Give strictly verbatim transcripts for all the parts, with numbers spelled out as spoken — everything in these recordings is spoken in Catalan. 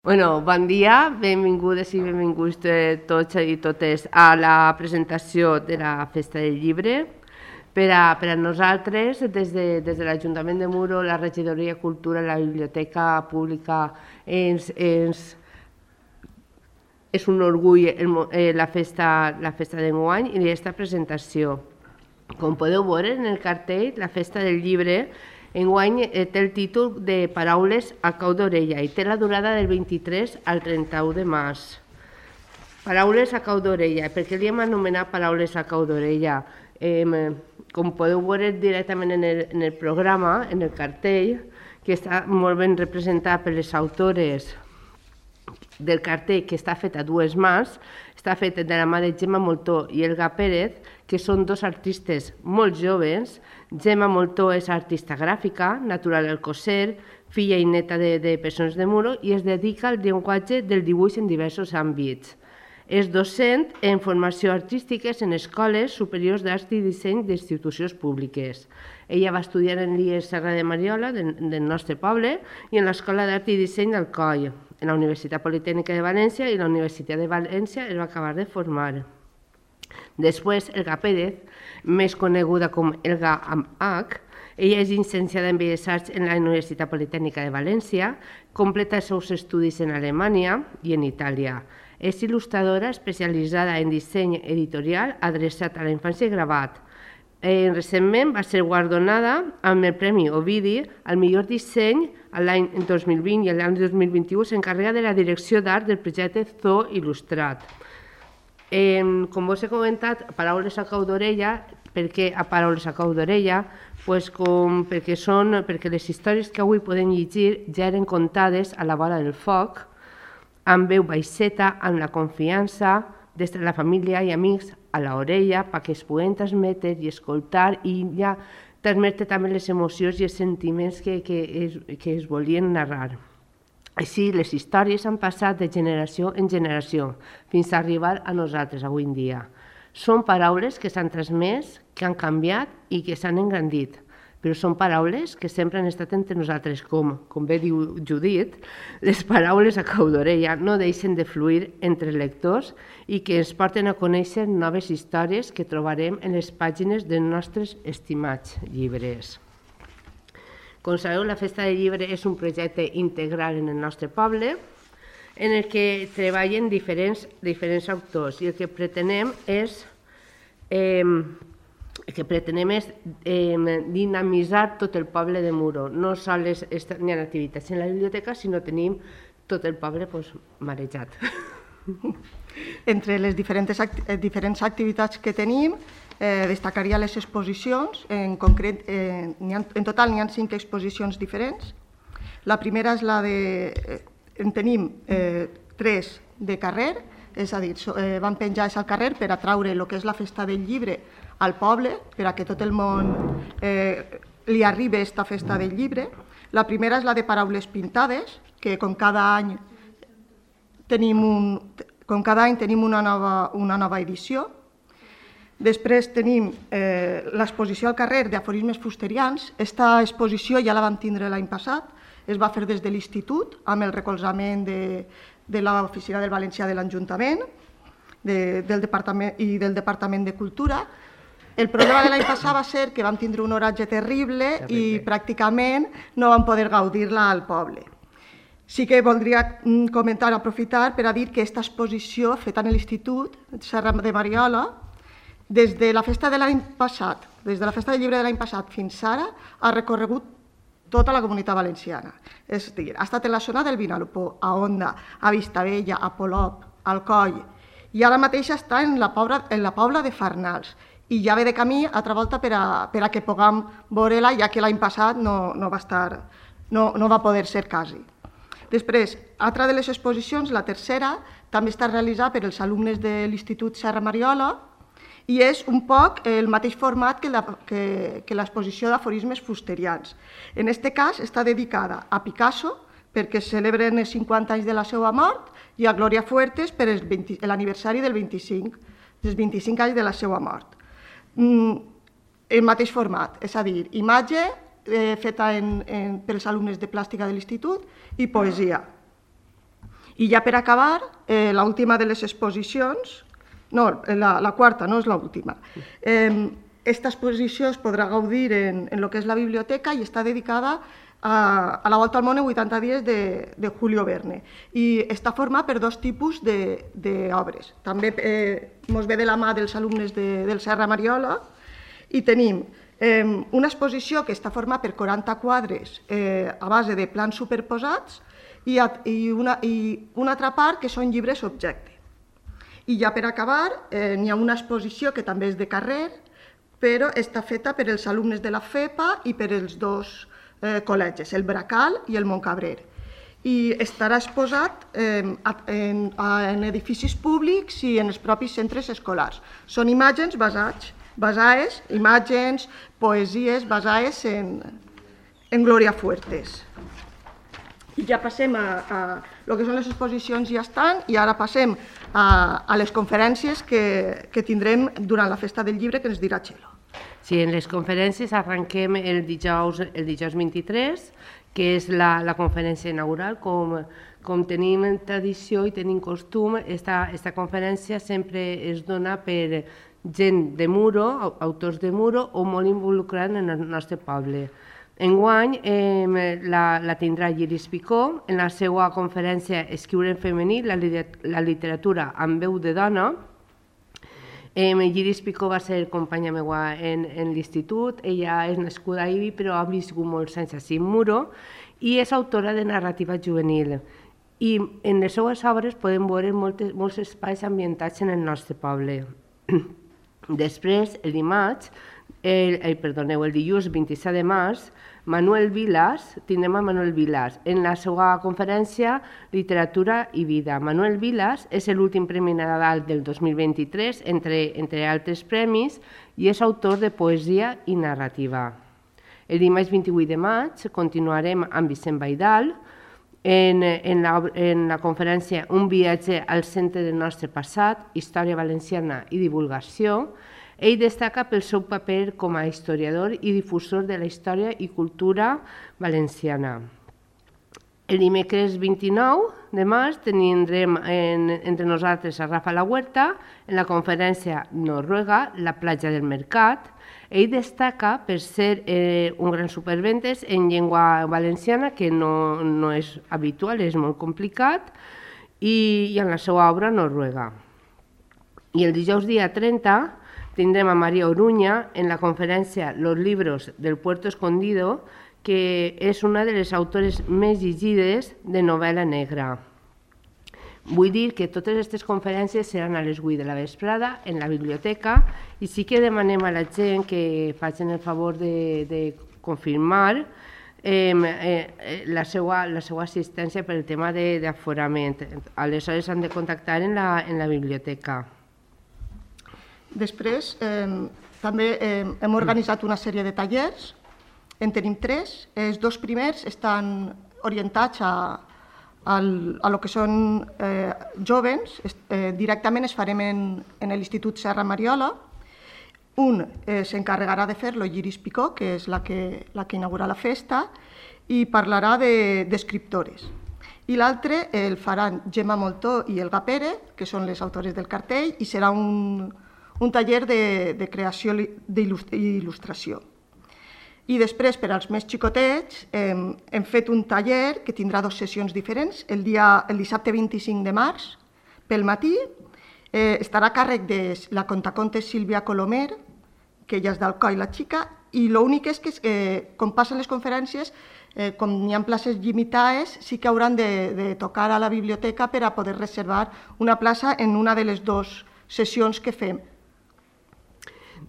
Bueno, bon dia, benvingudes i benvinguts tots i totes a la presentació de la Festa del Llibre. Per a, per a nosaltres, des de, des de l'Ajuntament de Muro, la Regidoria de Cultura, la Biblioteca Pública, ens, ens, és un orgull el, eh, la festa, la festa d'enguany i aquesta presentació. Com podeu veure en el cartell, la Festa del Llibre enguany té el títol de Paraules a cau d'orella i té la durada del vint-i-tres al trenta-u de març. Paraules a cau d'orella. Per què li hem anomenat Paraules a cau d'orella? Eh, com podeu veure directament en el, en el programa, en el cartell, que està molt ben representat per les autores del cartell, que està fet a dues mans, està fet de la mà de Gemma Moltó i Elga Pérez, que són dos artistes molt joves. Gemma Moltó és artista gràfica, natural al Alcocer, filla i neta de, de persones de Muro, i es dedica al llenguatge del dibuix en diversos àmbits. És docent en formació artístiques en escoles superiors d'art i disseny d'institucions públiques. Ella va estudiar en l'I E S Serra de Mariola, del, del nostre poble, i en l'Escola d'Art i Disseny d'Alcoi. En la Universitat Politècnica de València i la Universitat de València es va acabar de formar. Després, Elga Pérez, més coneguda com Elga amb H, ella és llicenciada en Belles Arts en la Universitat Politècnica de València, completa els seus estudis en Alemanya i en Itàlia. És il·lustradora especialitzada en disseny editorial adreçat a la infància i gravat. Eh, recentment va ser guardonada amb el Premi Ovidi al millor disseny l'any dos mil vint i l'any dos mil vint-i-u s'encarrega de la direcció d'art del projecte Zoo Il·lustrat. Eh, com vos he comentat, Paraules a cau d'orella. Per què a Paraules a cau d'orella? Pues com, perquè, són, perquè les històries que avui podem llegir ja eren contades a la vora del foc, amb veu baixeta, amb la confiança, des de la família i amics a l'orella, perquè es puguen transmetre i escoltar i ja transmetre també les emocions i els sentiments que, que, es, que es volien narrar. Així, les històries han passat de generació en generació fins a arribar a nosaltres avui en dia. Són paraules que s'han transmès, que han canviat i que s'han engrandit, però són paraules que sempre han estat entre nosaltres, com, com bé diu Judit, les paraules a cau d'orella no deixen de fluir entre lectors i que ens porten a conèixer noves històries que trobarem en les pàgines dels nostres estimats llibres. Com sabeu, la Festa del Llibre és un projecte integral en el nostre poble, en el que treballen diferents, diferents autors i el que pretenem és, eh, el que pretenem és eh, dinamitzar tot el poble de Muro. No sols hi ha activitats en la biblioteca, sinó tenim tot el poble pues, marejat. Entre les diferents, acti diferents activitats que tenim, eh, destacaria les exposicions. En concret, eh, ha, en total n'hi ha cinc exposicions diferents. La primera és la de... Eh, en tenim eh, tres de carrer, és a dir, so, eh, van penjar al carrer per atraure el que és la Festa del Llibre al poble, per a que tot el món eh, li arribi aquesta Festa del Llibre. La primera és la de Paraules Pintades, que com cada any tenim, un, com cada any tenim una, nova, una nova edició. Després tenim eh, l'exposició al carrer d'aforismes fusterians. Aquesta exposició ja la vam tindre l'any passat, es va fer des de l'Institut amb el recolzament de, de l'Oficina del Valencià de l'Ajuntament de, del departament, i del Departament de Cultura. El problema de l'any passat va ser que vam tindre un oratge terrible, terrible. i pràcticament no vam poder gaudir-la al poble. Sí que voldria comentar, aprofitar per a dir que aquesta exposició feta en l'Institut Serra de Mariola, des de la festa de l'any passat, des de la Festa del Llibre de l'any passat fins ara, ha recorregut tota la comunitat valenciana. És a dir, ha estat en la zona del Vinalopó, a Onda, a Vistabella, a Polop, a Alcoi, i ara mateix està en la Pobla, en la Pobla de Farnals, i ja ve de camí altra volta per a, per a que puguem veure-la, ja que l'any passat no, no, va estar, no, no va poder ser quasi. Després, altra de les exposicions, la tercera, també està realitzada per els alumnes de l'Institut Serra Mariola, i és un poc el mateix format que l'exposició d'aforismes fusterians. En aquest cas està dedicada a Picasso, perquè celebren els cinquanta anys de la seva mort, i a Glòria Fuertes per l'aniversari del vint-i-cinc, dels vint-i-cinc anys de la seva mort. El mateix format, és a dir, imatge feta pels alumnes de plàstica de l'Institut i poesia. I ja per acabar, eh, l'última de les exposicions, no, la, la quarta, no és l'última. Eh, esta exposició es podrà gaudir en, en el que és la biblioteca i està dedicada a, a la Volta al món en vuitanta dies de, de Julio Verne. I està format per dos tipus d'obres. També eh, mos ve de la mà dels alumnes de, del Serra Mariola i tenim eh, una exposició que està formada per quaranta quadres eh, a base de plans superposats i, i, una, i una altra part que són llibres objecte. I ja per acabar, eh, n'hi ha una exposició que també és de carrer, però està feta per els alumnes de la FEPA i per els dos eh, col·legis, el Bracal i el Montcabrer. I estarà exposat eh, en, en edificis públics i en els propis centres escolars. Són imatges basats, basades, imatges, poesies basades en, en Gloria Fuertes. I ja passem a, a el que són les exposicions, ja estan, i ara passem a, a les conferències que, que tindrem durant la Festa del Llibre, que ens dirà Txelo. Sí, en les conferències arrenquem el dijous, el dijous vint-i-tres, que és la, la conferència inaugural. Com, com tenim tradició i tenim costum, esta, esta conferència sempre es dona per gent de Muro, autors de Muro, o molt involucrats en el nostre poble. Enguany eh, la, la tindrà Lliris Picó en la seva conferència Escriure en femení, la, la literatura amb veu de dona. Eh, Lliris Picó va ser companya meva en, en l'institut, ella és nascuda a Ibi però ha viscut molts anys a Muro i és autora de narrativa juvenil. I en les seues obres podem veure moltes, molts espais ambientats en el nostre poble. Després, el dimarts, el, el, perdoneu, el dilluns vint-i-set de març, Manuel Vilas, tindrem a Manuel Vilas en la seva conferència Literatura i Vida. Manuel Vilas és l'últim Premi Nadal del dos mil vint-i-tres, entre, entre altres premis, i és autor de poesia i narrativa. El dimarts vint-i-vuit de maig continuarem amb Vicent Baidal en, en, la, en la conferència Un viatge al centre del nostre passat, història valenciana i divulgació. Ell destaca pel seu paper com a historiador i difusor de la història i cultura valenciana. El dimecres vint-i-nou de març tindrem en, entre nosaltres a Rafa La Huerta en la conferència Noruega, la platja del Mercat. Ell destaca per ser eh, un gran superventes en llengua valenciana, que no, no és habitual, és molt complicat, i, i en la seva obra Noruega. I el dijous dia trenta tindrem a Maria Oruña en la conferència Los libros del Puerto Escondido, que és una de les autores més llegides de novel·la negra. Vull dir que totes aquestes conferències seran a les vuit de la vesprada en la biblioteca i sí que demanem a la gent que facin el favor de, de confirmar eh, eh, la, seva, la seva assistència per el tema d'aforament. Aleshores han de contactar en la, en la biblioteca. Després, eh, també eh, hem organitzat una sèrie de tallers, en tenim tres. Els dos primers estan orientats a, a, a lo que són eh, jovens, eh, directament es farem en, en l'Institut Serra Mariola. Un eh, s'encarregarà de fer-lo Lliris Picó, que és la que, la que inaugura la festa, i parlarà d'escriptores. I l'altre el faran Gemma Moltó i Elga Pere, que són les autores del cartell, i serà un... un taller de, de creació i il·lustració. I després, per als més xicotets, eh, hem fet un taller que tindrà dues sessions diferents. El, dia, el dissabte vint-i-cinc de març, pel matí, eh, estarà a càrrec de la contacontes Sílvia Colomer, que ella és d'Alcoi, la xica, i l'únic és que, eh, com passen les conferències, eh, com n'hi ha places limitades, sí que hauran de, de tocar a la biblioteca per a poder reservar una plaça en una de les dues sessions que fem.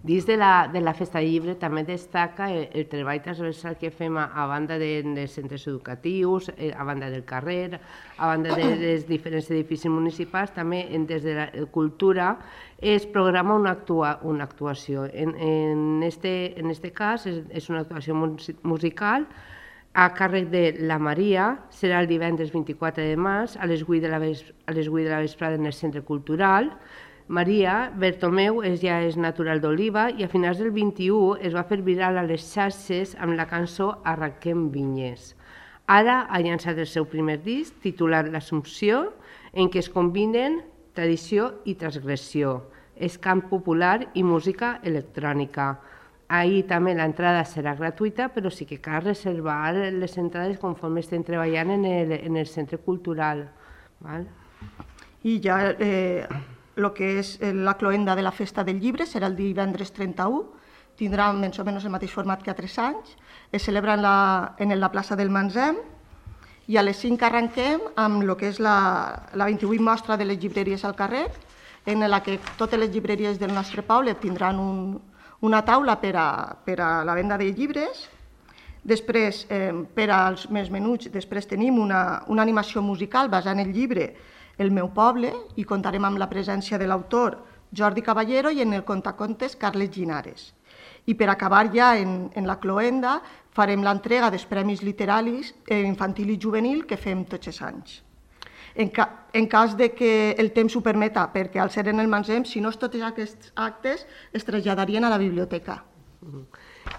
Dins de la, de la Festa del Llibre també destaca el, el treball transversal que fem a, a banda de, dels centres educatius, a banda del carrer, a banda de, dels diferents edificis municipals, també des de la cultura es programa una, actua, una actuació. En, en, este, en este cas és, és una actuació musical a càrrec de la Maria, serà el divendres vint-i-quatre de març a les vuit de la, a les vuit de la vesprada en el Centre Cultural. Maria Bertomeu és, ja és natural d'Oliva i a finals del vint-i-u es va fer viral a les xarxes amb la cançó Arranquem vinyes. Ara ha llançat el seu primer disc, titulat L'Assumpció, en què es combinen tradició i transgressió. És cant popular i música electrònica. Ahir també l'entrada serà gratuïta, però sí que cal reservar les entrades conforme estem treballant en el, en el centre cultural. Val? I ja eh, el que és la cloenda de la Festa del Llibre serà el divendres trenta-u, tindrà més o menys el mateix format que a tres anys, es celebra en la, en la plaça del Manzem i a les cinc arrenquem amb el que és la, la vint-i-vuit mostra de les llibreries al carrer, en la que totes les llibreries del nostre poble tindran un, una taula per a, per a la venda de llibres. Després, eh, per als més menuts, després tenim una, una animació musical basada en el llibre El meu poble i contarem amb la presència de l'autor Jordi Caballero i en el contacontes Carles Llinares. I per acabar ja en, en la cloenda farem l'entrega dels premis literaris eh, infantil i juvenil que fem tots els anys. En, ca, en cas de que el temps ho permeta, perquè al ser en el Manzem, si no és tots aquests actes, es traslladarien a la biblioteca.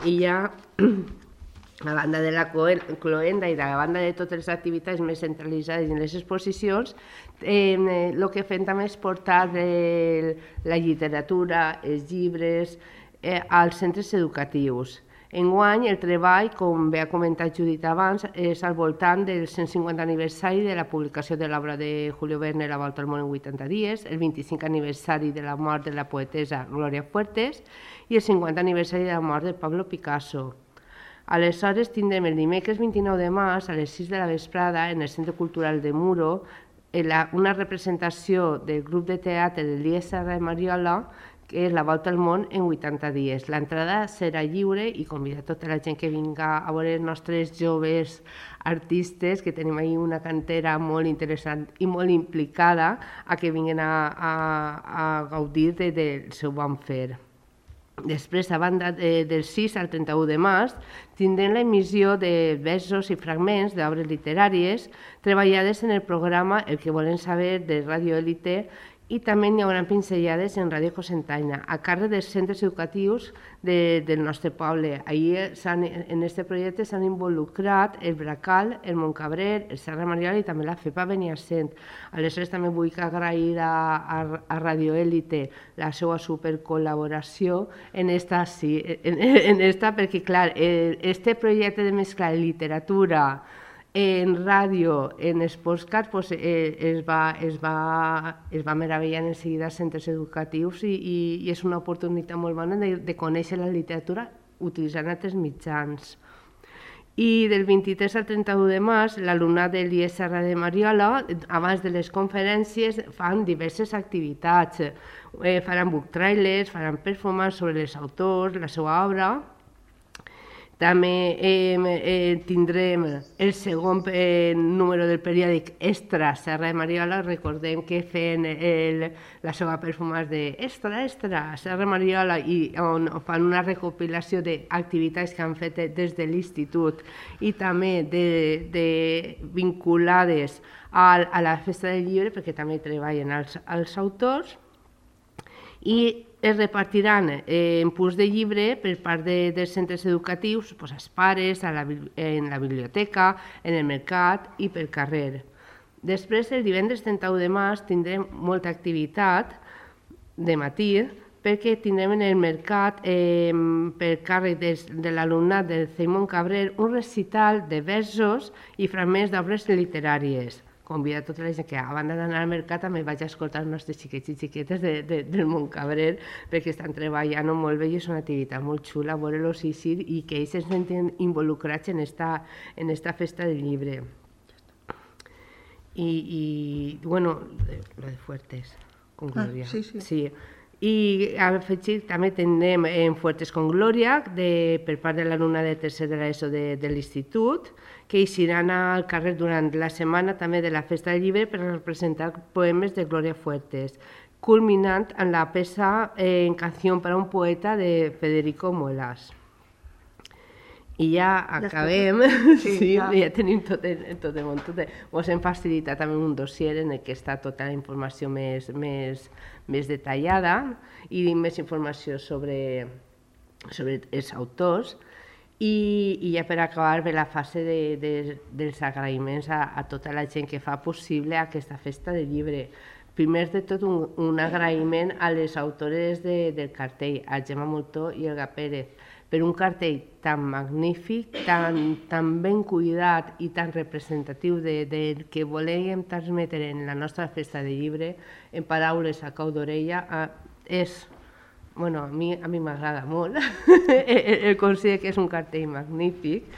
I ja, a banda de la cloenda i a banda de totes les activitats més centralitzades en les exposicions, eh, el que fem també és portar eh, la literatura, els llibres, eh, als centres educatius. Enguany, el treball, com bé ha comentat Judit abans, és al voltant del cent cinquanta aniversari de la publicació de l'obra de Julio Verne, La volta al món en vuitanta dies, el vint-i-cinc aniversari de la mort de la poetessa Glòria Fuertes i el cinquanta aniversari de la mort de Pablo Picasso. Aleshores, tindrem el dimecres vint-i-nou de març a les sis de la vesprada en el Centre Cultural de Muro una representació del grup de teatre de l'I S R de Mariola, que és La volta al món en vuitanta dies. L'entrada serà lliure i convida tota la gent que vinga a veure els nostres joves artistes, que tenim ahir una cantera molt interessant i molt implicada, a que vinguin a, a, a gaudir de, del seu bon fer. Després, a banda de, del sis al trenta-u de març, tindrem l'emissió de versos i fragments d'obres literàries treballades en el programa El que volen saber de Radio Élite, i també n'hi haurà pinzellades en Ràdio Cocentaina, a càrrec dels centres educatius de, del nostre poble. Ahir en aquest projecte s'han involucrat el Bracal, el Montcabrer, el Serra Mariola i també la FEPA Beniassent. Aleshores també vull agrair a, a, a Radio Élite la seva supercol·laboració en esta, sí, en, en esta perquè, clar, este projecte de mesclar literatura en ràdio, en els postcards, pues, eh, es, va, es, va, es va meravellar en seguida als centres educatius i, i, i és una oportunitat molt bona de, de conèixer la literatura utilitzant altres mitjans. I del vint-i-tres al trenta-u de març, l'alumnat de l'I S R de Mariola, abans de les conferències, fan diverses activitats. Eh, faran book trailers, faran performance sobre els autors, la seva obra. També eh, eh, tindrem el segon eh, número del periòdic Extra Serra de Mariola. Recordem que feien el, la seva performance de Extra, Extra, Serra de Mariola, i on fan una recopilació d'activitats que han fet des de l'institut i també de, de vinculades a, a la Festa del Llibre, perquè també treballen els, els autors. I es repartiran eh, en punts de llibre per part de, dels centres educatius, pues, als pares, a la, en la biblioteca, en el mercat i pel carrer. Després, el divendres trenta-u de març, tindrem molta activitat de matí, perquè tindrem en el mercat, eh, per càrrec de, de l'alumnat del C E I Montcabrer, un recital de versos i fragments d'obres literàries. Convida a tota la gent que, a banda d'anar al mercat, també vaig a escoltar els nostres xiquets i xiquetes de, de, del Montcabrer, perquè estan treballant molt bé i és una activitat molt xula veure-los eixir i que ells es senten involucrats en esta, en esta festa del llibre. I, i bueno, lo de Fuertes, con Glòria. Ah, sí, sí. Sí. I afegit, també tindrem en Fuertes con Glòria, de, per part de l'alumna de tercer de l'ESO de, de l'institut, que eixiran al carrer durant la setmana també de la Festa del Llibre per representar poemes de Glòria Fuertes, culminant en la peça eh, en Canción para un poeta de Federico Molas. I ja acabem, sí, sí, ja. ja tenim tot el, tot el món. Ens hem facilitat també un dossier en què està tota la informació més, més, més detallada i més informació sobre, sobre els autors. I, i ja per acabar ve la fase de, de, dels agraïments a, a tota la gent que fa possible aquesta festa del llibre. Primer de tot, un, un agraïment a les autores de, del cartell, a Gemma Moltó i Elga Pérez, per un cartell tan magnífic, tan, tan ben cuidat i tan representatiu del de, de que volíem transmetre en la nostra festa del llibre, en paraules a cau d'orella, és... Bueno, a mi a mi m'agrada molt, el considero que és un cartell magnífic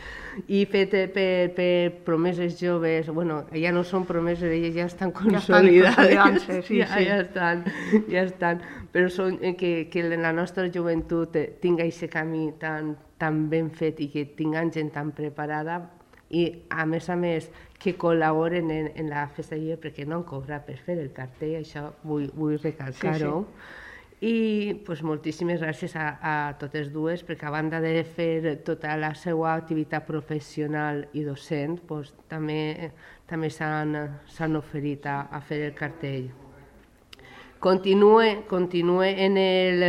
i fet per, per promeses joves, bueno, ja no són promeses, elles ja estan consolidades, ja, sí, ja, sí. ja, estan, ja estan, però són, que, que la nostra joventut tinga aquest camí tan, tan ben fet i que tinguin gent tan preparada i a més a més que col·laboren en, en la festa lliure perquè no han cobrat per fer el cartell, això vull, vull recalcar-ho. Sí, sí. I pues, moltíssimes gràcies a, a totes dues, perquè a banda de fer tota la seva activitat professional i docent, pues, també, també s'han oferit a, a fer el cartell. Continue, continue en, el,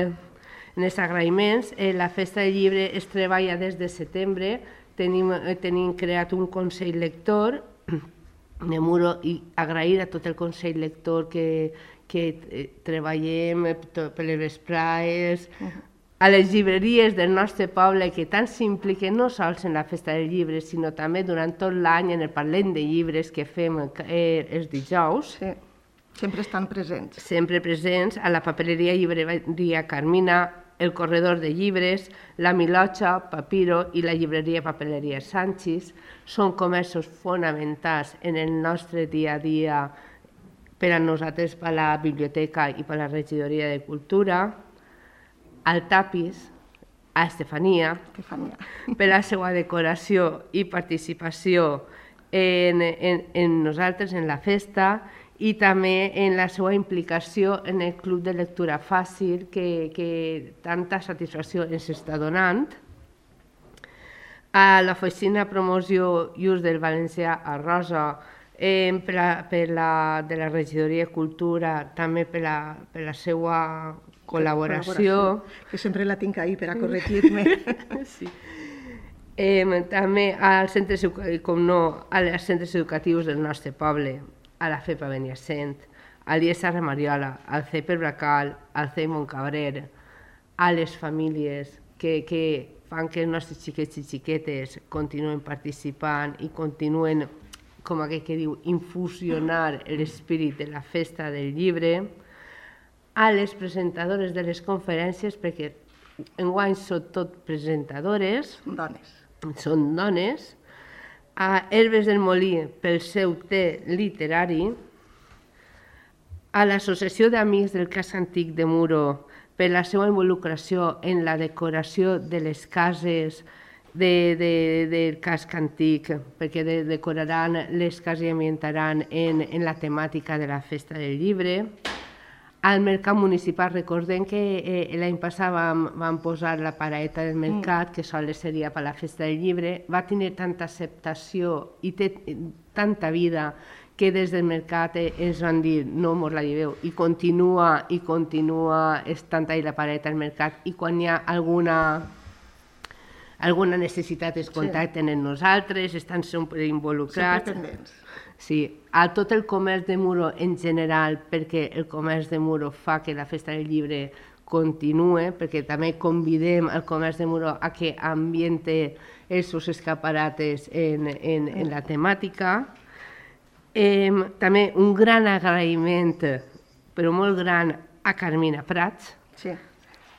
en els agraïments. Eh, la Festa del Llibre es treballa des de setembre, tenim, tenim creat un Consell Lector de Muro i agrair a tot el Consell Lector que que eh, treballem per les vesprades, uh -huh. a les llibreries del nostre poble que tant s'impliquen no sols en la Festa del Llibre, sinó també durant tot l'any en el Parlem de Llibres que fem eh, els dijous. Sí, sempre estan presents. Sempre presents a la papereria Llibreria Carmina, el Corredor de Llibres, la Milotxa, Papiro i la llibreria Papeleria Sanchis. Són comerços fonamentals en el nostre dia a dia per a nosaltres, per a la biblioteca i per a la regidoria de cultura, al Tapis, a Estefania, Estefania. per la seva decoració i participació en, en, en nosaltres, en la festa, i també en la seva implicació en el Club de Lectura Fàcil, que, que tanta satisfacció ens està donant. A l'oficina Promoció i Ús del Valencià a Rosa, Eh, per la, per la, de la regidoria de cultura, també per la, per la seva col·laboració. col·laboració. Que sempre la tinc ahí per a corregir-me. Sí. Eh, també als centres, com no, als centres educatius del nostre poble, a la FEPA Beniasent, a l'I E S A Mariola, al C E P Bracal, al C E I Montcabrer, a les famílies que, que fan que els nostres xiquets i xiquetes continuen participant i continuen, com aquell que diu, infusionar l'espírit de la festa del llibre, a les presentadores de les conferències, perquè enguany són tot presentadores, dones. són dones, a Herbes del Molí pel seu té literari, a l'Associació d'Amics del Casc Antic de Muro per la seva involucració en la decoració de les cases De, de, del casc antic, perquè de, decoraran les cases i ambientaran en, en la temàtica de la Festa del Llibre. Al Mercat Municipal, recordem que eh, l'any passat vam, vam posar la paraeta del mercat, que sols seria per la Festa del Llibre, va tenir tanta acceptació i té tanta vida que des del mercat eh, ens van dir no mos la lleveu, i continua, i continua estant ahí la paraeta del mercat, i quan hi ha alguna... alguna necessitat es contacten amb nosaltres, estan sempre involucrats. Sempre pendents. Sí, a tot el comerç de Muro en general, perquè el comerç de Muro fa que la Festa del Llibre continue, perquè també convidem el comerç de Muro a que ambiente els seus escaparates en, en, en la temàtica. Eh, també un gran agraïment, però molt gran, a Carmina Prats. Sí.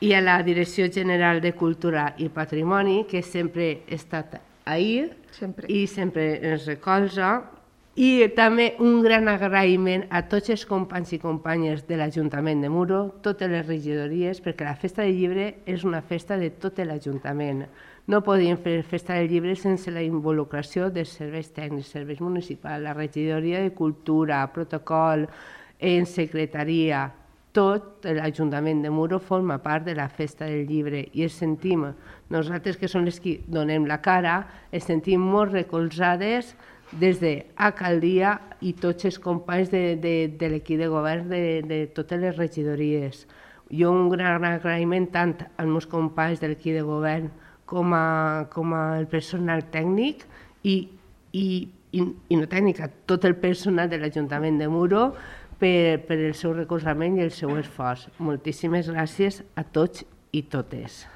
I a la Direcció General de Cultura i Patrimoni, que sempre ha estat ahí sempre. i sempre ens recolza. I també un gran agraïment a tots els companys i companyes de l'Ajuntament de Muro, totes les regidories, perquè la Festa del Llibre és una festa de tot l'Ajuntament. No podíem fer Festa del Llibre sense la involucració dels serveis tècnics, serveis municipals, la regidoria de Cultura, protocol, en secretaria. Tot l'Ajuntament de Muro forma part de la Festa del Llibre i ens sentim, nosaltres que som les que donem la cara, ens sentim molt recolzades des d'alcaldia i tots els companys de, de, de l'equip de govern de, de totes les regidories. Jo un gran agraïment tant als meus companys de l'equip de govern com a, com a el personal tècnic i, i, i, i no tècnic, a tot el personal de l'Ajuntament de Muro per, per el seu recolzament i el seu esforç. Moltíssimes gràcies a tots i totes.